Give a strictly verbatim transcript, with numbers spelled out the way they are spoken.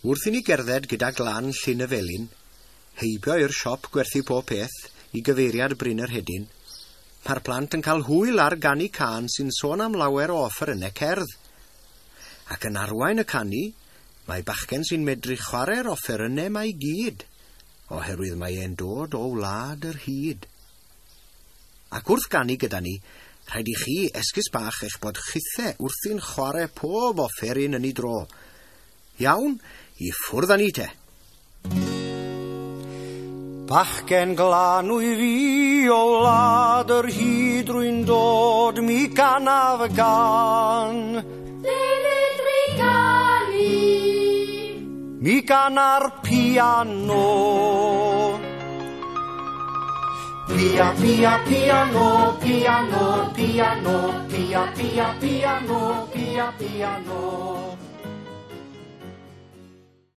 Wrth i ni gerdded gyda glan Llyn y Felin, heibio i'r siop gwerthu pob peth i gyfeiriad Bryn yr Hedyn, mae'r plant yn cael hwyl ar ganu cân sy'n sôn am lawer o offerynnau cerdd. Ac yn arwain y canu, mae bachgen sy'n medru chwarae'r offerynnau 'ma i gyd, oherwydd mae e'n dod o wlad yr hud. Ac wrth ganu gyda ni, rhaid i chi esgus bach eich bod chithe wrthi'n chwarae pob offeryn yn ei dro. Iawn, i ffwrdd â ni te. Bachgen glân wyf fi o wlad yr hud rwy'n dod, mi ganaf y gân. Fedri ganu. Mi gana'r piano. Pia, pia, piano, piano, piano, pia, pia, piano, pia, piano.